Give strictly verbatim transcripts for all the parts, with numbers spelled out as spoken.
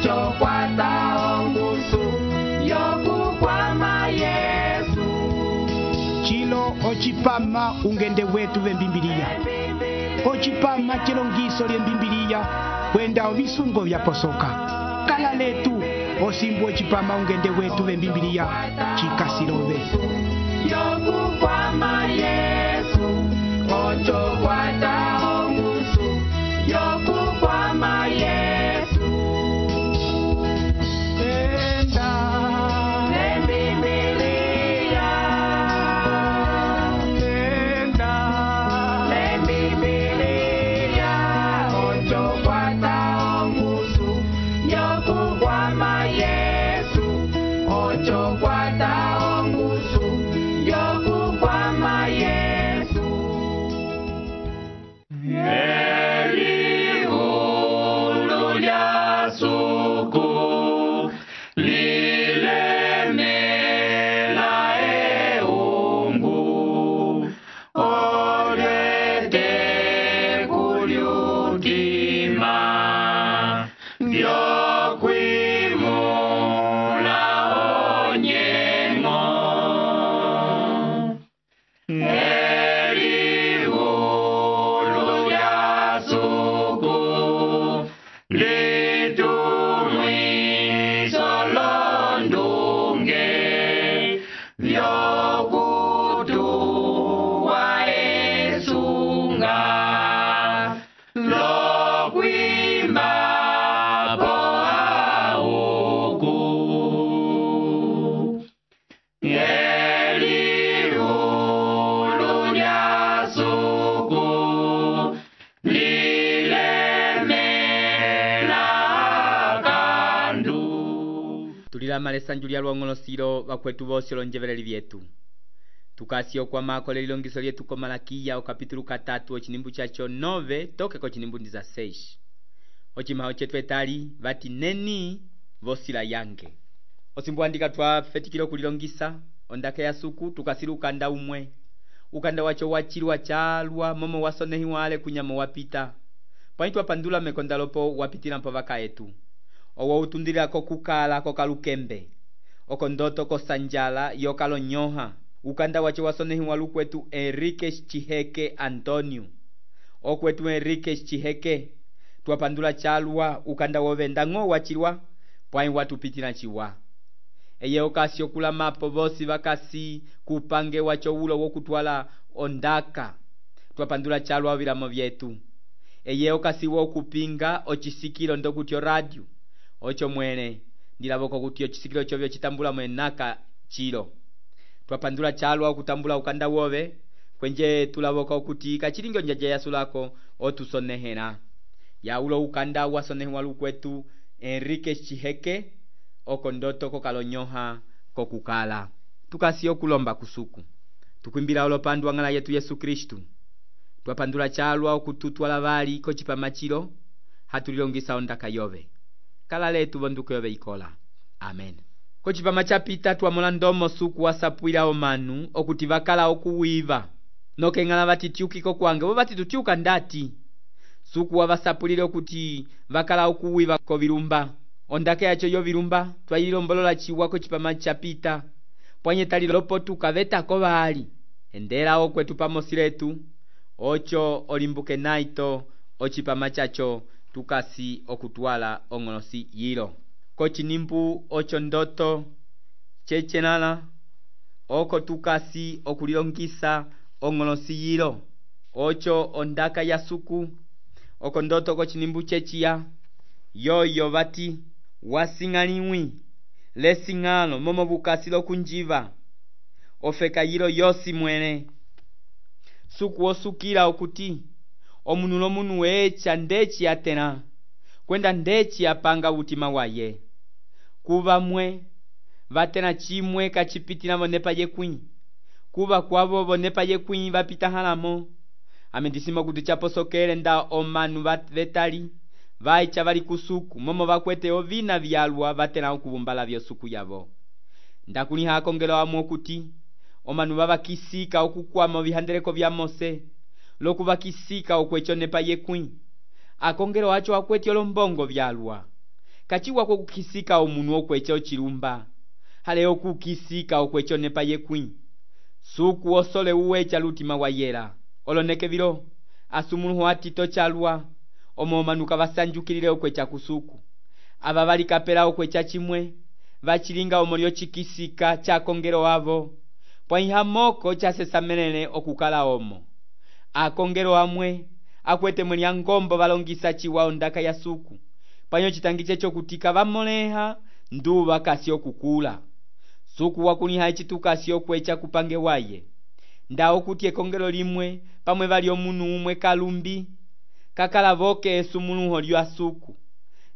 ocho kwata ongusu yokukwama Yesu. Chilo ochipama ungende wetu vembimbiliya. Ochipama chilongiso lye mbimbiliya kwenda ovisungo vya posoka. Kala letu osimbu ochipama ungende wetu vembimbiliya chikasilove. Yokukwama Yesu, ocho kwata ongusu yokukwama Yesu. Enda Lembimbiliya, enda Lembimbiliya, ocho kwata ongusu yokukwama Yesu, ocho kwata ongusu yokukwama Yesu. Elihulu lya suku lilemela eungu, olete kulyutima vyokwimula onyengo. Elihulu lya suku litumwiso londunge vyokutuwa esunga lokwimba po auku. Elihulu lya suku lilemela kandu. Tulilamala esanju lya luongolosilo vakwetu vosi olonjeveleli vyetu. Tukasi okwamako lelilongiso lyetu ko Malakiya okapitulu katatu ochinimbu chacho nove toke ko chinimbu ndiza seis. Ochimaho chetu etali vati neni vosila yange. Osimbu andika twa fetikilo kulilongisa ondake ya suku tukasilu ukanda umwe. Ukanda wacho wachilwa chalwa momo wasonehi wale kunyamo wapita. Pwani twapandula mekondalopo wapitila mpo vaka etu. Owo utundila ko kukala ko kalukembe. Oko ndoto ko sanjala yokalo nyoha. Ukanda wacho wasonehi walukwetu Enrique Chiheke Antonio. Okwetu Enrique Chiheke twapandula chalwa ukanda wovenda ngo wachilwa pwani watupitila chiwa. Eye okasi okula mapo vosi vakasi kupange wacho ulo wokutwala ondaka twapandula chalwa vilamo vyetu. Eye okasi wokupinga ochisikilo ndokutyo radio ocho mwene ndilavoko kuti ochisikilo chovyo chitambula mwenaka chilo. Twapandula chalwa okutambula ukanda wove kwenje tulavoko kuti kachilingo njaja yasulako otusonehera. Ya ulo ukanda wasonehi walukwetu Enrique Chiheke oko ndoto ko kalonyoha ko kukala. Tukasi okulomba kusuku. Tukwimbila olopandu wangala yetu Yesu Kristu. Twapandula chalwa okututwala vali ko chipamachilo hatulilongisa ondaka yove. Kala letu vonduko yove ikola. Amen. Ko chipama chapita twamola ndomo suku wasapwila omanu okuti vakala okuwiva. Noke ngala vatitiukiko kwange bo vatitutiuka ndati. Suku wavasapulile okuti vakala okuwiva ko vilumba. Ondake yacho yo vilumba twayilombolola chiwa ko chipama chapita. Pwanye tali lopo tukaveta ko vali. Endela okwetu pamosiletu ocho olimbuke naito ochipama chacho tukasi okutwala ongolosi yilo. Ko chinimbu ocho ndoto chechenala oko tukasi okulilongisa ongolosi yilo. Ocho ondaka ya suku oko ndoto ko chinimbu chechia yoyo vati wasingaliwi lesingalo momo bukasilo kunjiva ofeka yilo yosi mwene. Suku osukila okuti omunulo munu wecha ndechi atena kwenda ndechi apanga utima waye. Kuva mwe vatena chimwe kachipitila vonepa yekwi. Kuva kwavo vonepa yekwi vapita halamo. Amendisima kuti chaposokele nda omanu vetali vaicha vali kusuku momo vakwete ovina vyalwa vatena okubumbala vyo suku yavo. Ndakuni hakongelo amwo kuti omanu vavakisika okukwama vihandeleko vya Mose loku vakisika okwecho nepa yekwi. Akongelo acho akweti olombongo vyalwa kachiwa kokukisika omunu okwecha ochilumba hale okukisika okwecha onepa yekwĩ suku osole uwecha lutima wayela oloneke vilo asumuluho atito chalwa omo omanuka vasanjukilile okwecha kusuku ava valikapela okwecha chimwe vachilinga omolyo chikisika cha kongelo avo pwaiha moko chasesamelele okukala omo akongelo amwe akwete mwelia ngombo valongisa chiwa ondaka ya suku panyo chitangiche chokutika vamoleha nduva kasi okukula suku wakuliha echitukasi okwecha kupange waye nda okuti ekongelo limwe pamwe vali omunu umwe kalumbi kakala voke esumuluho lya suku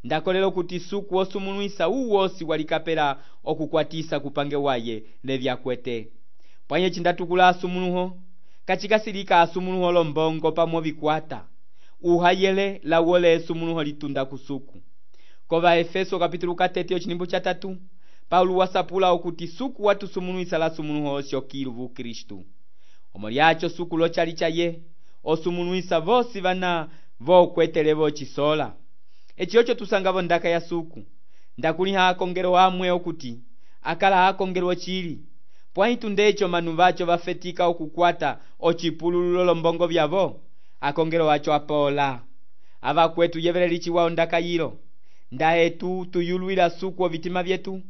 ndakolelo kuti suku osumuluisa uwosi walikapela okukwatisa kupange waye levyakwete pwanye chindatukula asumuluho kachikasilika asumuluho lombongo pamwe vikwata uhayele lawole esumuluho litunda kusuku kova Efeso kapitulu katete ochinimbu cha tatu Paulo wasapula okuti suku watusumuluisa la sumuluho osyokilu vu Kristu omo lyacho suku lochali chaye osumuluisa vosi vana vokwetelevo chisola eci ocho tusangavo ndaka ya suku ndakuliha akongelo amwe okuti akala akongelo chili pwaitu ndecho manu vacho vafetika okukwata ochipulululo lombongo vyavo akongelo wacho apola ava kwetu yeveleli chiwao ndaka yilo ndaetu tuyulwila suku ovitima vyetu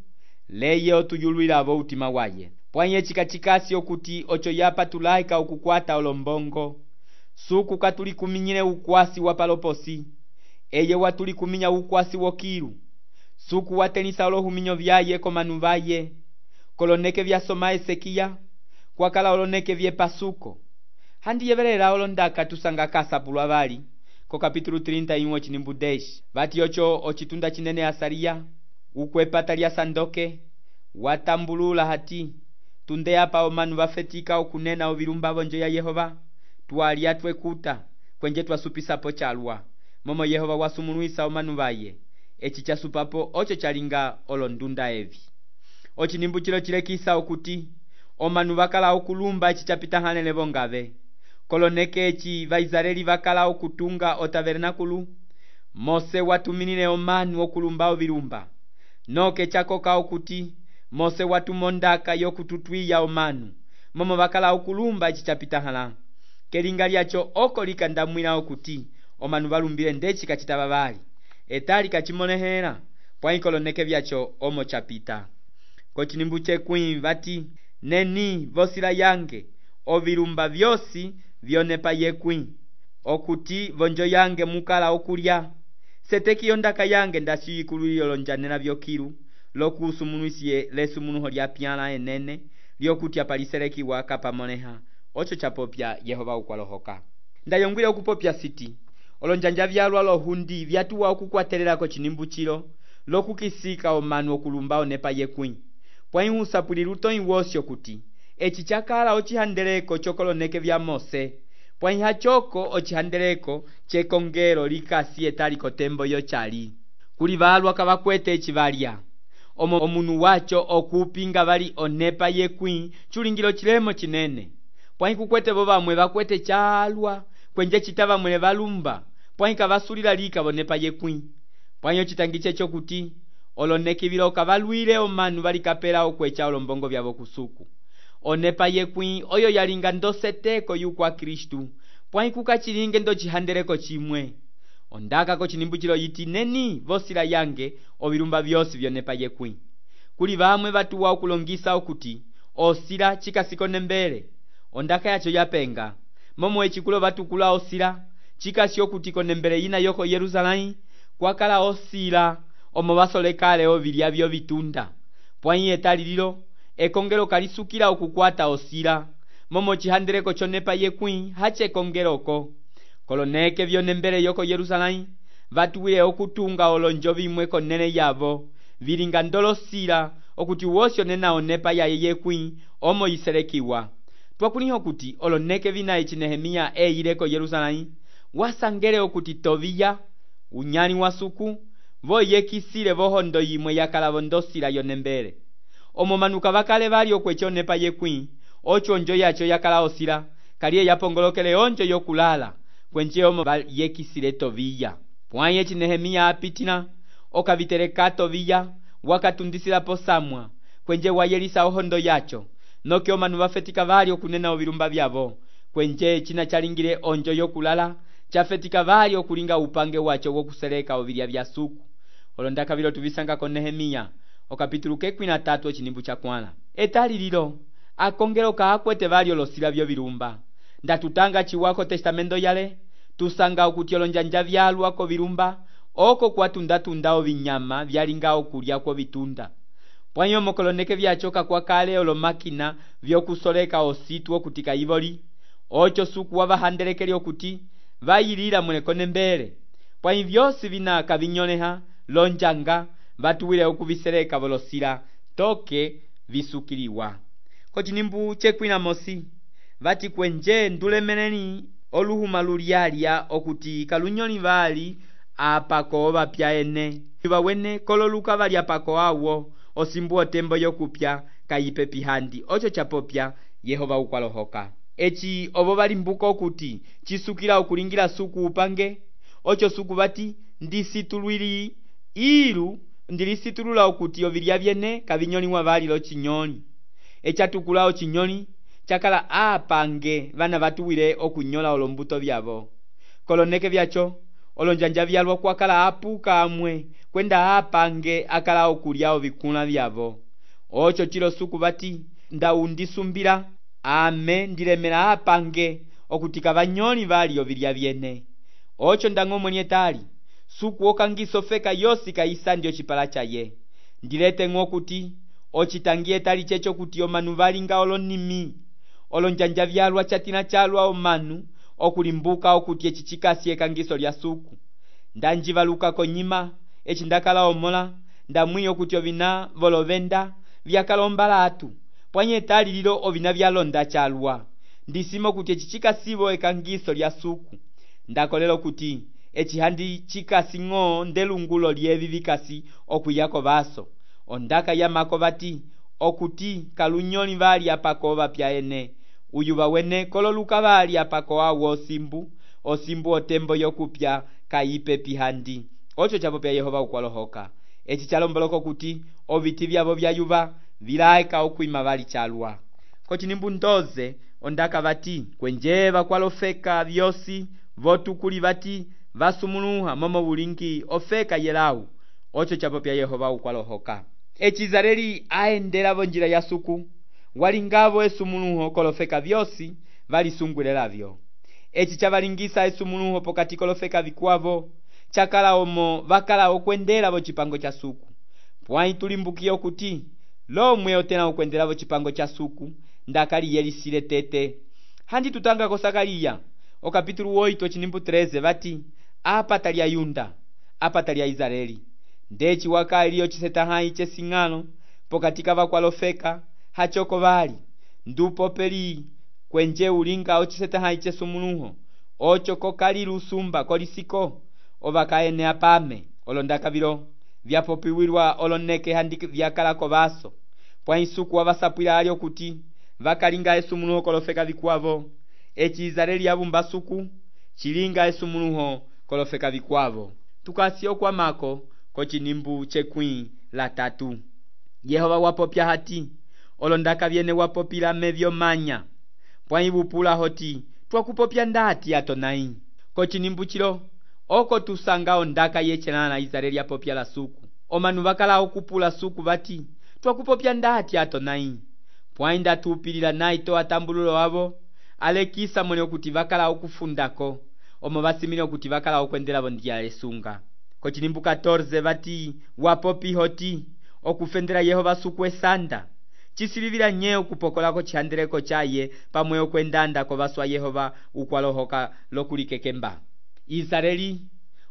leye otuyulwila avo utima waye pwanye chikachikasi okuti ocho yapa tulaika okukwata olombongo suku katulikuminyile ukwasi wa paloposi eye watulikuminya ukwasi wokilu suku watelisa olohuminyo vyaye komanu vaye koloneke vyasoma Esekiya kwakala oloneke vyepasuko handi yevelela olondaka tusanga kasapulwa vali ko kapitulu thelathini na moja chinimbu deshi vati ocho ochitunda chinene Asariya ukwepata lya sandoke watambulula hati tunde apa omanu vafetika okunena ovilumba vonjo ya Yehova tualia twekuta kwenje twasupisapo chalwa momo Yehova wasumuluisa omanu vaye echi chasupapo ocho chalinga olondunda evi ochinimbu chilo chilekisa okuti omanu vakala okulumba echi chapita hanele vongave koloneke echi vaisraeli vakala okutunga otavernakulu Mose watuminile omanu okulumba ovilumba noke chakoka okuti Mose watumondaka yokututwiya omanu momo vakala okulumba echi chapita hala kelinga lyacho oko likandamwila okuti omanu valumbile ndechi kachitava vali etali kachimonehela pwaikoloneke vyacho omo chapita kochinimbu chekwĩ vati neni vosila yange ovilumba vyosi vyonepa yekwĩ okuti vonjo yange mukala okulya seteki ondaka yange ndashiyikululilo lonjanela vyokilu lokusumuluisye lesumuluho lya pyala enene lyokuti apaliselekiwa kapamoneha ocho chapopya Yehova ukwalohoka ndayongwile okupopya siti olonjanja vyalwa lohundi vyatuwa okukwatelela kochinimbu chilo lokukisika omanu okulumba onepa yekwĩ pwaihusapuliluto iwosyo kuti echi chakala ochihandeleko chokoloneke vya Mose pwaiha choko ochihandeleko chekongelo likasi etali kotembo yochali kuli valwa kavakwete echi valya omo omunu wacho okupinga vali onepa yekwĩ chulingilo chilemo chinene pwaikukwete vo vamwe vakwete chalwa kwenje chitava mwele valumba pwaika vasulila lika vonepa yekwĩ pwanyo chitangiche chokuti oloneki vilo kavalwile omanu valikapela okwecha olombongo vyavo kusuku onepa yekwĩ oyo yalinga ndoseteko yukwa Kristu pwaikukachilinge ndochihandeleko chimwe ondaka kochinimbu chilo yiti neni vosila yange ovilumba vyosi vyonepa yekwĩ kuli vamwe vatuwa okulongisa okuti osila chikasiko mbele ondaka yacho yapenga momo echikulo vatukula osila chikasi okuti konembele yina yoko Yerusalemu kwakala osila omo vasolekale ovilya vyo vitunda pwai etali lilo ekongelo kalisukila okukwata osila momo chihandeleko chonepa yekwĩ hache ekongeloko koloneke vyonembele yoko Yerusalemu vatuwile okutunga olonjo vimwe konene yavo vilinga ndolosila okuti wosyo nena onepa yaye yekwĩ omo yiselekiwa twakuliho kuti oloneke vina echi Nehemiya eileko Yerusalemu wasangele okuti Tobiya unyali wa suku voyekisile vohondo yimwe yakala vondosila yonembele omo manuka vakale vali okwecha onepa yekwĩ ocho onjo yacho yakala osila kaliye yapongolokele onjo yokulala kwenje omo yekisile Tobiya pwai echi Nehemiya apitila okaviterekato viya wakatundisilapo samwa kwenje wayelisa ohondo yacho noke omanu vafetika vali okunena ovilumba vyavo kwenje china chalingile onjo yokulala chafetika vali okulinga upange wacho wokuseleka ovilya vya suku. Olondaka vilo tuvisanga ko Nehemiya okapitulu kekwi na tatu ochinimbu cha kwala etali lilo akongelo kaakwete vali olosila vyo vilumba ndatutanga chiwako testamento yale tusanga okuti olonjanja vyalwa ko vilumba oko kwatundatunda ovinyama vyalinga okulya ko vitunda pwanyo mokoloneke vyachoka kwa kale olo makina vyokusoleka ositu okutika ivoli ocho suku wavahandelekeli okuti vayilila mulekone mbele pwanyi vyosi vina kavinyoleha lonjanga vatuwile okuviseleka volosila toke visukiliwa. Kochinimbu chekwina mosi vati kwenje ndulemeleni oluhuma lulialya okuti kalunyoli vali apako vapya ene vawene kololuka vali apako awo osimbu otembo yokupya kayipe pihandi ocho chapopya Yehova ukwalohoka echi ovo valimbuka okuti chisukila okulingira suku upange ocho suku vati ndisitulwili ilu ndilisitulula okuti ovilya vyene kavinyoliwa vali lo chinyoli echatukulawo chinyoli chakala apange vana vatuwile okunyola olombuto vyavo koloneke vyacho olonjanja vyalwa kwakala apuka amwe kwenda apange akala okulya ovikula vyavo ocho chilo suku vati ndaundisumbila ame ndilemela apange okutika vanyoli vali ovilya vyene ocho ndang'omwe etali suku okangiso feka yosi kaisa ndio chipala chaye ndilete ng'okuti ochitangie tali checho kuti omanu valinga olonimi olonjanja vyalwa chatina chalwa omanu okulimbuka okuti echichikasi ekangiso lya suku ndanjivaluka konyima echindakala omola ndamwiyo kuti ovina volovenda vyakalomba atu pwanye tali lilo ovina vyalonda chalwa ndisimo kuti echichikasivo ekangiso lya suku ndakolelo kuti echihandi chikasi ng'o ndelungulo lyevi vikasi okuyako vaso ondaka yamako vati okuti kalunyoli vali apako vapya ene uyu vawene kololuka vali apako awo osimbu osimbu otembo yokupya kayipe pihandi ocho chapopya Yehova ukwalohoka echi chalomboloko kuti oviti vyavo vyayuva vilaeka okwima vali chalwa kochinimbu ndoze ondaka vati kwenje vakwalofeka vyosi votukuli vati vasumuluha momo bulingi ofeka yelau ocho chapopya Yehova ukwalohoka echizareli aendelavo njira ya suku walingavo esumuluho kolofeka vyosi valisungwilelavyo echi chavalingisa esumuluho pokati kolofeka vikwavo chakala omo vakala okwendelavo chipango cha suku pwanyi tulimbukiye okuti lomwe otena okwendelavo chipango cha suku ndakali yelisile tete handi tutanga kosakaliya okapitulu oito chinimbu treze vati apa talya Yunda apa talya Israeli ndechi waka iliyo chisetahayi chesing'alo pokatika vakwalofeka hachoko vali ndupo peli kwenje ulinga ochisetahayi chesumuluho ocho kokali lusumba kolisiko ovakaene apame olondaka vilo vyapopiwilwa oloneke handi vyakalako vaso pwanyi suku wavasapwila alyo kuti vakalinga esumuluho kolofeka vikwavo echi Israeli yavumba suku chilinga esumuluho kolofeka vikwavo tukasiyo kwa mako kochinimbu chekwi la tatu Yehova wapopya hati olondaka vyene wapopila mevyo manya pwanyi bupula hoti twakupopya ndati atonai kochinimbu chilo oko tusanga ondaka yechelana na Israeli apopya la suku omanu vakala okupula suku vati twakupopya ndati atonai pwanyi ndatupilila naito atambululo wavo alekisa mwene okuti vakala okufundako omo vasimile okuti vakala okwendelavo ndiya esunga kochinimbu catorze vati wapopi hoti okufendela Yehova suku esanda chisilivila nye okupokolako chihandeleko chaye pamwe okwendanda kovaswa Yehova ukwalohoka lokulikekemba Israeli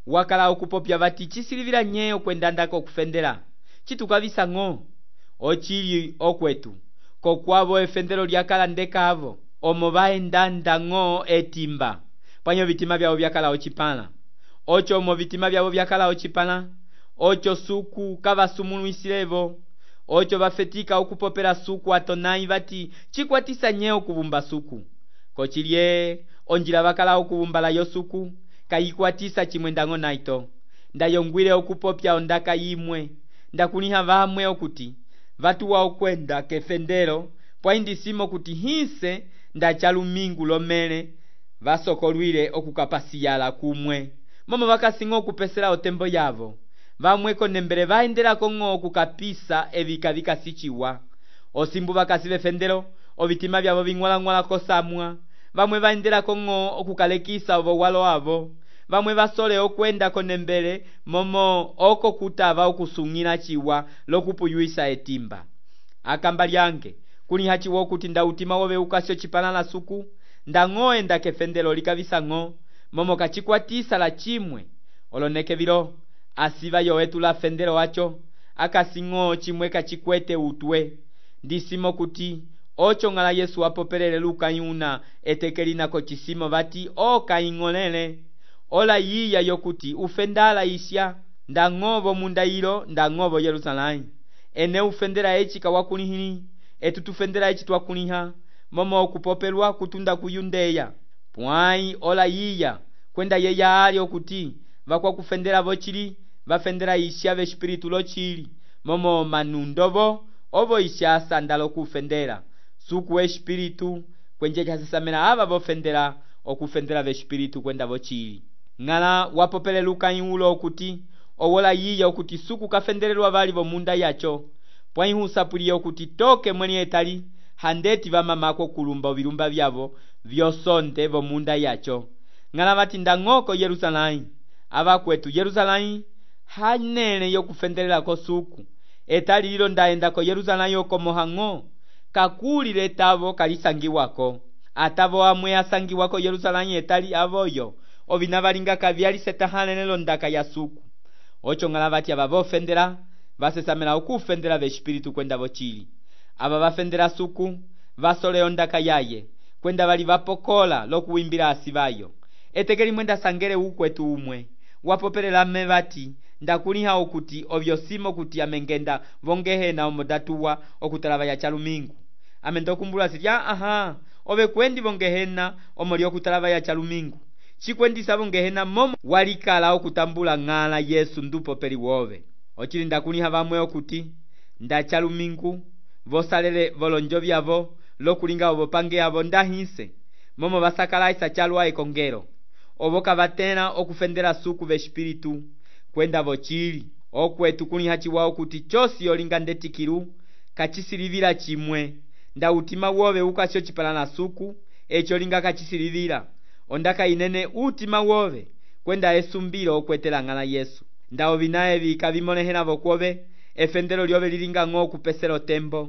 wakala okupopya vati chisilivila nye okwendandako okufendela chitukavisa ng'o ochili okwetu kokwavo efendelo lyakala ndekavo omo vaendanda ng'o etimba pwanyo vitima vyavo vyakala ochipala ocho omo vitima vyavo vyakala ochipala ocho suku kavasumuluisilevo ocho vafetika okupopela suku atonai vati chikwatisa nye okuvumba suku kochilye onjila vakala okuvumbala yo suku kayikwatisa chimwendang'o naito ndayongwile okupopya ondaka yimwe ndakuliha vamwe okuti vatuwa okwenda kefendelo pwaindisimo kuti hinse ndachalumingu lomele vasokolwile okukapasiyala kumwe momo vakasinga okupesela otembo yavo vamwe konembele vaendelako ng'o okukapisa evika vikasichiwa osimbu vakasi vefendelo ovitima vyavo ving'walang'wala kosamwa vamwe vaendelako ng'o okukalekisa ovo walo avo vamwe vasole okwenda konembele momo oko kutava okusung'ila chiwa lokupuyuisa etimba akamba lyange kuliha chiwa okuti nda utima wove ukasyo chipalala suku ndang'o enda kefendelo likavisa ng'o momo kachikwatisa la chimwe oloneke vilo asiva yowetu la fendelo wacho akasing'o chimwe kachikwete utwe ndisimo kuti ocho ng'ala Yesu apopelele luka yuna etekelinako chisimo vati okaing'olele ola yiya yokuti ufendala isya ndang'ovo munda ilo ndang'ovo Yerusalemu ene ufendela echi kawakulihili etu tufendela echi twakuliha momo okupopelwa kutunda ku Yundeya pwai ola yiya kwenda yeya ali okuti vakwa kufendela vochili vafendela isya vespiritu lochili momo manundovo ovo isya sandalo kufendela suku espiritu kwenje chasesamela ava vofendela okufendela vespiritu kwenda vochili ng'ala wapopele luka yulo okuti owola yiya okuti suku kafendelelwa vali vomunda yacho pwaihusapuliye okuti toke mweli etali handeti vamamako kulumba ovilumba vyavo vyosonde vomunda yacho ng'ala vati ndang'oko Yerusalemu avakwetu Yerusalemu hanele yokufendelelako suku etali lilo ndaendako Yerusalemu okomohang'o kakulile tavo kalisangiwako atavo amwe asangiwako Yerusalemu etali avoyo ovina valinga kavyali setahalelelo ndaka ya suku ocho ng'ala vati ava vofendela vasesamela okufendela vespiritu kwenda vochili ava vafendela suku vasole ondaka yaye kwenda vali vapokola lokuwimbila asivayo etekeli mwenda sangele ukwetu umwe wapopelela mme vati ndakuliha okuti ovyosimo kuti amengenda vongehena omodatuwa okutalava ya chalumingu amendokumbula sitya aha ove kwendi vongehena omoli okutalava ya chalumingu chikwendisa vongehena momo walikala okutambula ng'ala Yesu ndupopeli wove ochili ndakuliha vamwe okuti ndachalumingu vosalele volonjo vyavo lokulinga ovo pange avo ndahinse momo vasakalaisa chalwa ekongelo ovo kavatela okufendela suku vespiritu kwenda vochili okwetu kuliha chiwa okuti chosi yolinga ndetikilu kachisilivila chimwe nda utima wove ukasyo chipalala suku echo linga kachisilivila ondaka inene utima wove kwenda esumbilo okwetela ng'ala Yesu nda ovina evi kavimolehela vokwove efendelo lyove lilinga ng'o okupesela tembo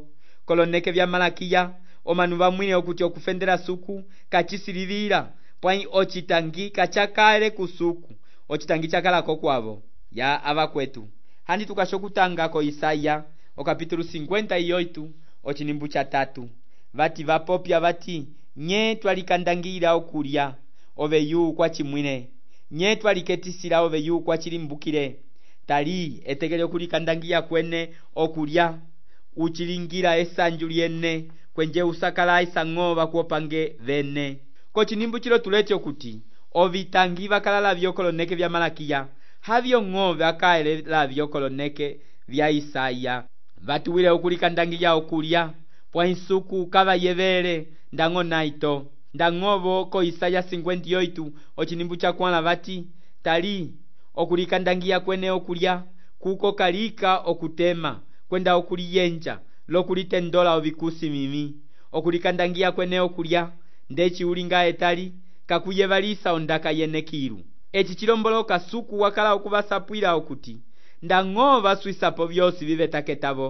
koloneke vya Malakiya omanu vamwile okuti okufendela suku kachisilivila pwai ochitangi kachakale kusuku ochitangi chakalako kwavo ya avakwetu handi tukasho kutangako Isaya okapitulu cincuenta y oito ochinimbu cha tatu vati vapopya vati nye twalikandangila okulya ove yu kwa chimwine nye twaliketisila ove yu kwa chilimbukile tali etekele okulikandangiya kwene okulya uchilingila esanju lyene kwenje usakala isang'o vakuopange vene kochinimbu chilo tulete okuti ovitangi vakalala vyokoloneke vya Malakiya havyo ng'o vakaelela vyokoloneke vya Isaya vatuwile okulikandangiya okulya pwainsuku kavayevele ndang'o naito ndang'ovo ko Isaya cincuenta y oito ochinimbu cha kwala vati tali okulikandangiya kwene okulya kuko kalika okutema kwenda okuliyenja lokulitendola ovikusi mimi okulikandangiya kwene okulya ndechi ulinga etali kakuyevalisa ondaka yenekilu echi chilomboloka suku wakala okuvasapwila okuti ndang'o vaswisapo vyosi vivetaketavo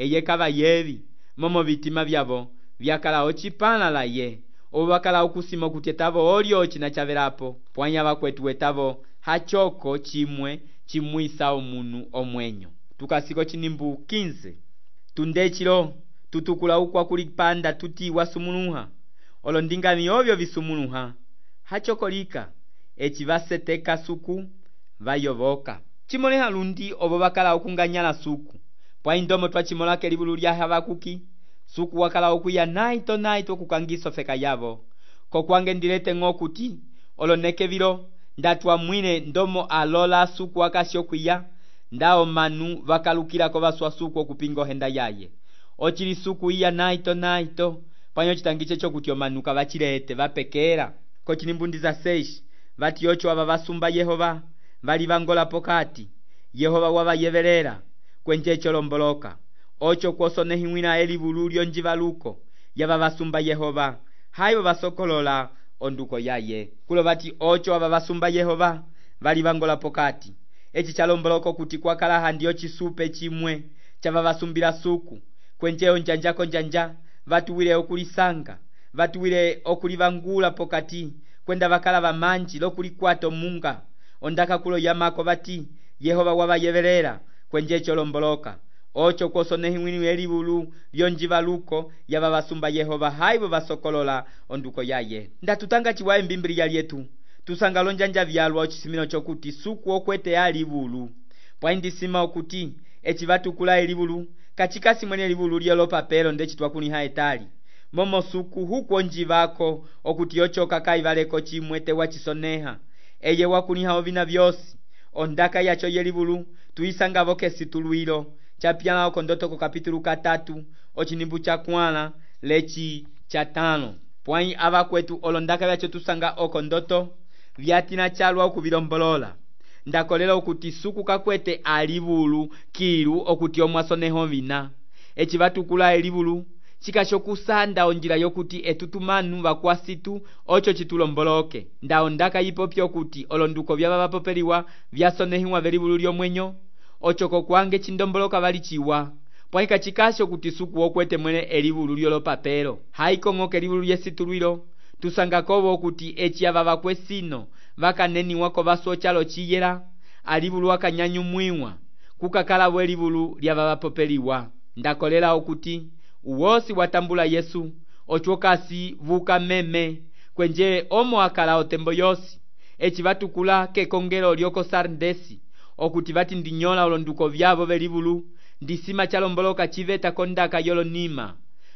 eye kavayevi momo vitima vyavo vyakala ochipalala ye ovo vakala okusima okuti etavo olyo ochina chavelapo pwanya vakwetu etavo hachoko chimwe chimwisa omunu omwenyo tukasiko chinimbu quinze tundechilo tutukula ukwa kulipanda tuti wasumuluha olondingani ovyo visumuluha hachokolika echi vaseteka suku vayovoka chimoleha lundi ovo vakala okunganyala suku pwaindomo twachimolake libulu lya Habakuki suku wakala okuya naito naito kukangiso feka yavo kokwange ndilete ng'o kuti oloneke vilo ndatwamwile ndomo alola suku akasi okwiya ndawo manu vakalukilako vaswa suku okupinga ohenda yaye. Ochili suku iya naito naito panyo chitangiche chokuti omanu kavachilete vapekera kochinimbundiza seis vati ocho ava vasumba Yehova vali vangola pokati Yehova wavayevelera kwenje cholomboloka ocho kwosonehiwina elivulu lyonjivaluko yava vasumba Yehova hayo vasokolola onduko yaye. Kulo vati ocho ava vasumba Yehova vali vangola pokati echi chalomboloko kuti kwakalaha ndiyo chisupe chimwe chava vasumbira suku kwenjeo njanjako njanja vatuwile okulisanga vatuwile okulivangula pokati kwenda vakala vamanji lokulikwata munga ondaka kulo yamako vati Yehova wavayevelera kwenje cholomboloka ocho kwosonehiwini elivulu lyonjivaluko yava vasumba Yehova haivo vasokolola onduko yaye. Ndatutanga chiwaye mbimbiliya lyetu tusanga lonjanja vyalwa ochisimino chokuti suku okwete alivulu pwaindisima okuti echi vatukula elivulu kachikasi mwene elivulu lyelo papelo ndechi twakuniha etali momo suku huko njivako okuti ocho kakaivaleko chimwe tewa chisoneha eye wakuniha ovina vyosi ondaka yacho yelivulu tuisanga voke situluilo chapyala okondotoko kapitulu katatu ochinimbu cha kwala lechi cha tano pwai ava kwetu olondaka vyacho tusanga okondoto vyatina chalwa okuvilombolola ndakolela okuti suku kakwete alivulu kilu okuti omwasoneho vina echi vatukula elivulu chikashokusanda onjila yokuti etutumanu vakwasitu ocho chitulomboloke ndao ndaka yipopyo kuti olonduko vyava vapopeliwa vyasonehiwa velivulu lyomwenyo ocho kokwange chindomboloka valichiwa pwaika chikasho kuti suku okwete mwene elivulu lyolopapelo haikong'oka elivulu lyesitulwilo tusanga kovo okuti echi ava vakwesino vakaneniwako vasochalo chiyela alivulu akanyanyumwiwa kukakala bwe elivulu lyava vapopeliwa ndakolela okuti uwosi watambula Yesu ochokasi vuka meme kwenje omo akala otembo yosi echi vatukula kekongelo lyoko Sardesi okuti vati ndinyola olonduko vyavo velivulu ndisima chalomboloka chiveta kondaka yolonima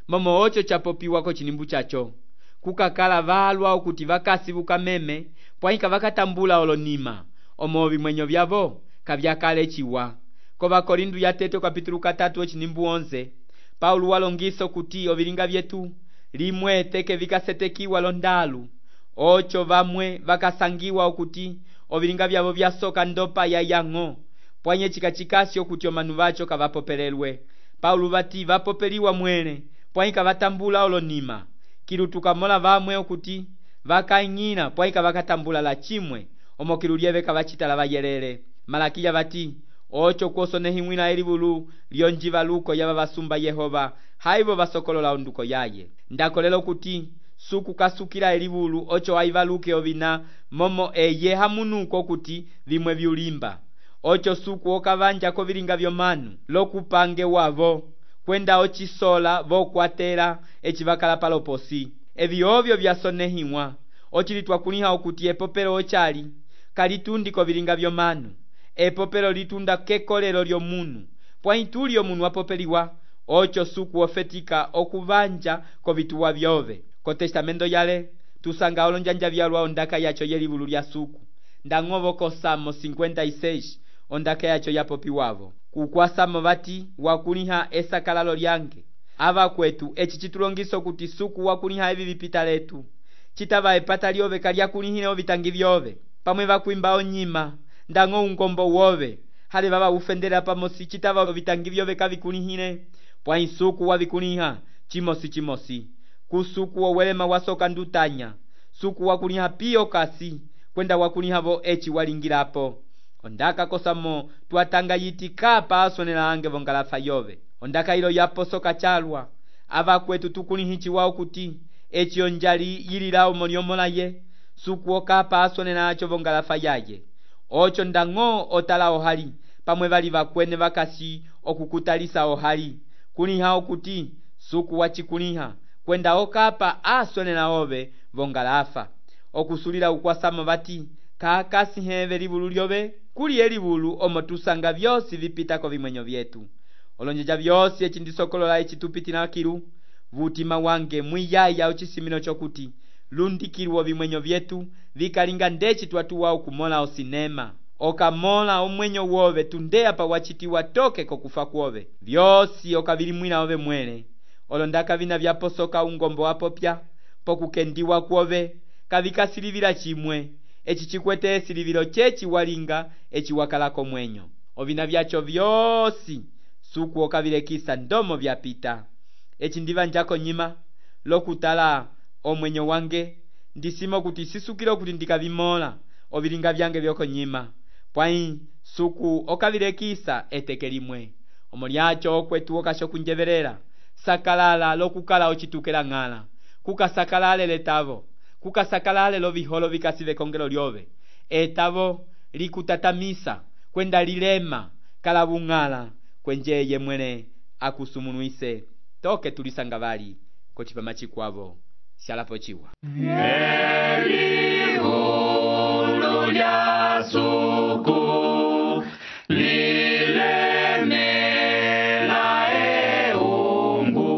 momo ocho chapopiwa ko chinimbu chacho kukakala valwa okuti vakasi vuka meme pwaika vakatambula olonima omo vimwenyo vyavo kavyakale chiwa. Kova Korindu ya teto kapitulu katatu ochinimbu onze Paulo walongiso kuti ovilinga vyetu limwe teke vikasetekiwa londalu ocho vamwe vakasangiwa okuti ovilinga vyavo vyasoka ndopa ya yango pwanye chikachikasi okuti omanu vacho kavapopelelwe. Paulo vati vapopeliwa mwene pwaika vatambula olonima kilu tukamola vamwe okuti vakaing'ina pwaika vakatambula la chimwe omo kilu lyeve kavachitala vayelele. Malakiya vati ocho kwosonehiwina elivulu lyonjivaluko yava vasumba Yehova haivo vasokolola onduko yaye. Ndakolela kuti suku kasukila elivulu ocho aivaluke ovina momo eye hamunuko kuti vimwe vyulimba ocho suku okavanja ko vilinga vyomanu lokupange wavo kwenda ochisola vokwatela echi vakala paloposi evi ovyo vyasonehiwa ochilitwa kuniha okuti epopelo ochali kalitundi ko vilinga vyomanu epopelo litunda kekolelo lyomunu pwaituli omunu wapopeliwa ocho suku ofetika okuvanja ko vituwa vyove. Ko testamento yale tusanga olonjanja vyalwa ondaka yacho yelivulu lya suku ndang'ovo ko Salmo cincuenta y seis ondaka yacho yapopiwavo kukwasamo vati wakuniha esakalalo lyange ava kwetu echi chitulongiso kuti suku wakuniha evi vipita letu chitava epata lyove kalyakunihile ovitangi vyove pamwe vakwimba onyima ndang'o ungombo wove hali vava ufendela pamosi chitava ovitangi vyove kavikunihile pwa isuku wavikuniha chimosi chimosi kusuku owelema wasoka ndutanya suku wakuniha piyo kasi kwenda wakuniha vo echi walingilapo ondaka kosamo tuatanga yiti kapa asonela ange vongalafa yove ondaka ilo yaposoka chalwa ava kwetu tukunihichi wao kuti echi onjali yililao moliomola ye suku okapa asonela acho vongalafa yaye ocho ndang'o otala ohali pamwe vali vakwene vakasi okukutalisa ohali kuniha okuti suku wachikuniha kwenda okapa asonela ove vongalafa okusulila ukwasamo vati kakasi heve livulu lyove kuli elivulu omo tusanga vyosi vipitako vimwenyo vyetu olonjeja vyosi echi ndisokolola echi tupitila kilu vutima wange mwiyaya ochisimino chokuti lundikilwa vimwenyo vyetu vikalinga ndeci twatuwa okumola osinema okamola omwenyo wove tundeya pa wachitiwa toke kokufa kwove vyosi okavilimwila ove mwele olondaka vina vyaposoka ungombo wapopya pokukendiwa kwove kavikasilivila chimwe eci chikwete esilivilo checi walinga eci wakalako mwenyo ovina vyacho vyosi suku okavilekisa ndomo vyapita eci ndiva njako nyima lokutala omwenyo wange ndisimo kuti sisukilo kuti ndikavimola ovilinga vyange vyoko nyima pwai suku okavilekisa eteke limwe omo lyacho okwetu okasho kunjevelela sakalala lokukala ochitukela ng'ala kukasakalale letavo kukasakalale loviholo vikasive kongelo lyove etavo likutatamisa kwenda lilema kala bung'ala kwenjeye mwene akusumunuise toke tulisanga vali kochipama chikwavo shalapo chiwa Elihulu lya suku lilemela eungu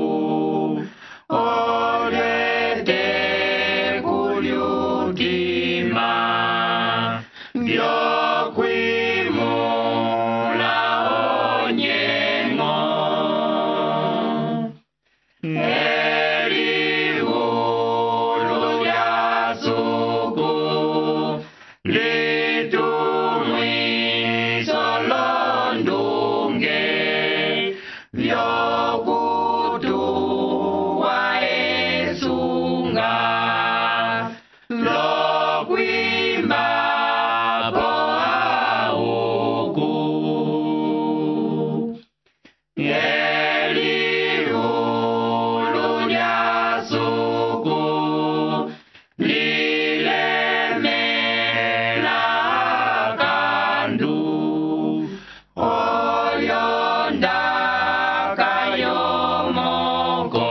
olete kulyutima vyokwimula onyengo Elihulu lya suku litumwiso londunge vyokutuwa esunga lokwimba po auku Elihulu lya suku lilemela kandu olyondaka yomoko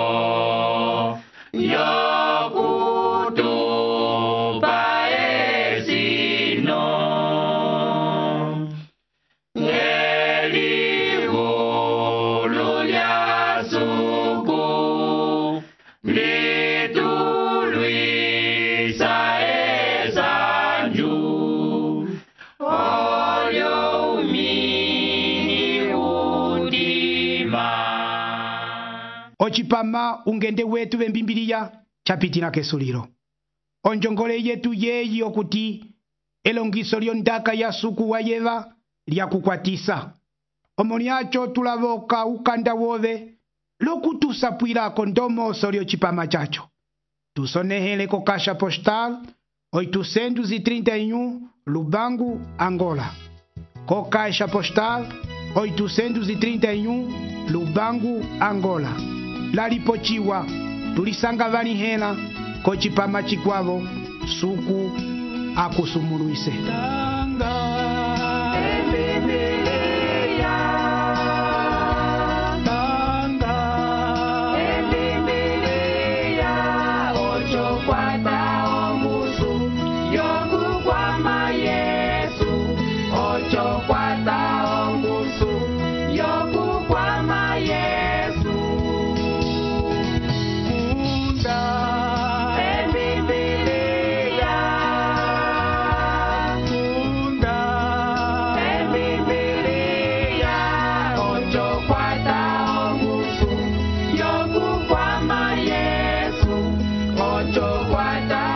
yokutupa esino Elihulu lya suku litulwisa esanju olyo umini udima ochipama ungende wetu vembimbiliya chapitila kesulilo onjongole yetu yeyi okuti elongiso lyondaka ya suku wa yeva lyakukwatisa omo lyacho tulavoka ukanda wove lokutusapwilako ndomoso lyocipama chacho tusonehele ko caixa postal oitocentos e trinta e um Lubango, Angola. Co caixa postal oitocentos e trinta e um Lubango, Angola. Lalipochiwa tulisanga vanihela kocipama chikwavo suku akusumuluise. Ocho, cuatro.